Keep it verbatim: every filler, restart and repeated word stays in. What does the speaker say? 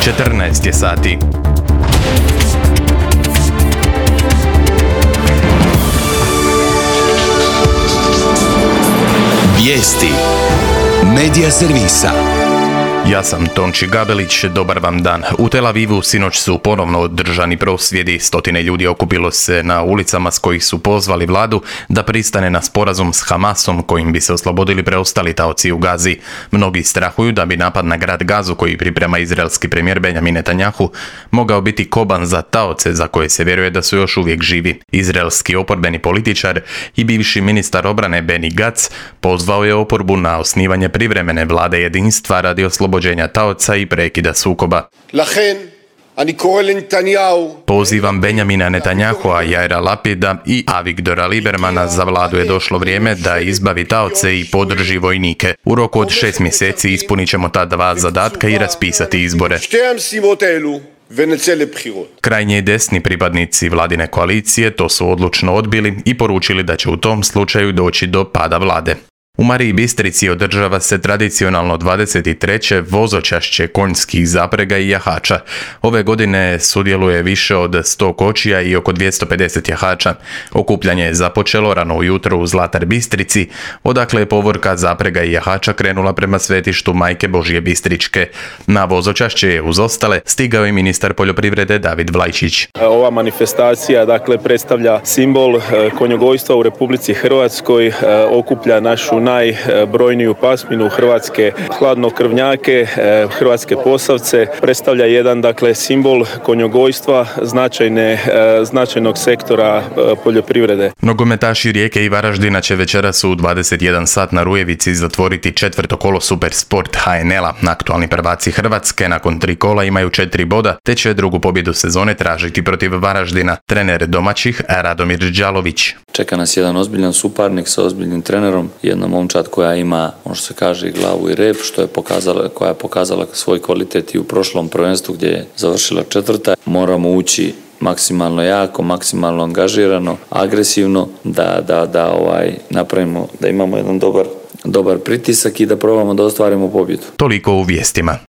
četrnaest je sati. Vijesti Medija servisa. Ja sam Tonči Gabelić, dobar vam dan. U Tel Avivu sinoć su ponovno održani prosvjedi. Stotine ljudi okupilo se na ulicama s kojih su pozvali vladu da pristane na sporazum s Hamasom kojim bi se oslobodili preostali taoci u Gazi. Mnogi strahuju da bi napad na grad Gazu koji priprema izraelski premijer Benjamin Netanjahu mogao biti koban za taoce za koje se vjeruje da su još uvijek živi. Izraelski oporbeni političar i bivši ministar obrane Benny Gantz pozvao je oporbu na osnivanje privremene vlade jedinstva radi oslobođenja taoca i prekida sukoba. Pozivam Benjamina Netanjahua, Jaira Lapida i Avigdora Liebermana, za vladu je došlo vrijeme da izbavi taoce i podrži vojnike. U roku od šest mjeseci ispunit ćemo ta dva zadatka i raspisati izbore. Krajnje desni pripadnici vladine koalicije to su odlučno odbili i poručili da će u tom slučaju doći do pada vlade. U Mariji Bistrici održava se tradicionalno dvadeset treće vozočašće konjskih zaprega i jahača. Ove godine sudjeluje više od sto kočija i oko dvjesto pedeset jahača. Okupljanje je započelo rano ujutro u Zlatar Bistrici, odakle je povorka zaprega i jahača krenula prema svetištu Majke Božje Bistričke. Na vozočašće je uz ostale stigao i ministar poljoprivrede David Vlajčić. Ova manifestacija dakle predstavlja simbol konjogojstva u Republici Hrvatskoj, okuplja našu najbrojniju pasminu hrvatske hladnokrvnjake, hrvatske posavce, predstavlja jedan dakle simbol konjogojstva značajne, značajnog sektora poljoprivrede. Nogometaši Rijeke i Varaždina će večeras u dvadeset jedan sat na Rujevici zatvoriti četvrto kolo Supersport H N L-a. Aktualni prvaci Hrvatske nakon tri kola imaju četiri boda, te će drugu pobjedu sezone tražiti protiv Varaždina. Trener domaćih Radomir Đalović. Čeka nas jedan ozbiljan suparnik sa ozbiljnim trenerom, jedna momčad koja ima, ono što se kaže, i glavu i rep, što je pokazala, koja je pokazala svoj kvalitet i u prošlom prvenstvu gdje je završila četvrta. Moramo ući maksimalno jako, maksimalno angažirano, agresivno, da, da, da ovaj, napravimo, da imamo jedan dobar, dobar pritisak i da probamo da ostvarimo pobjedu. Toliko u vijestima.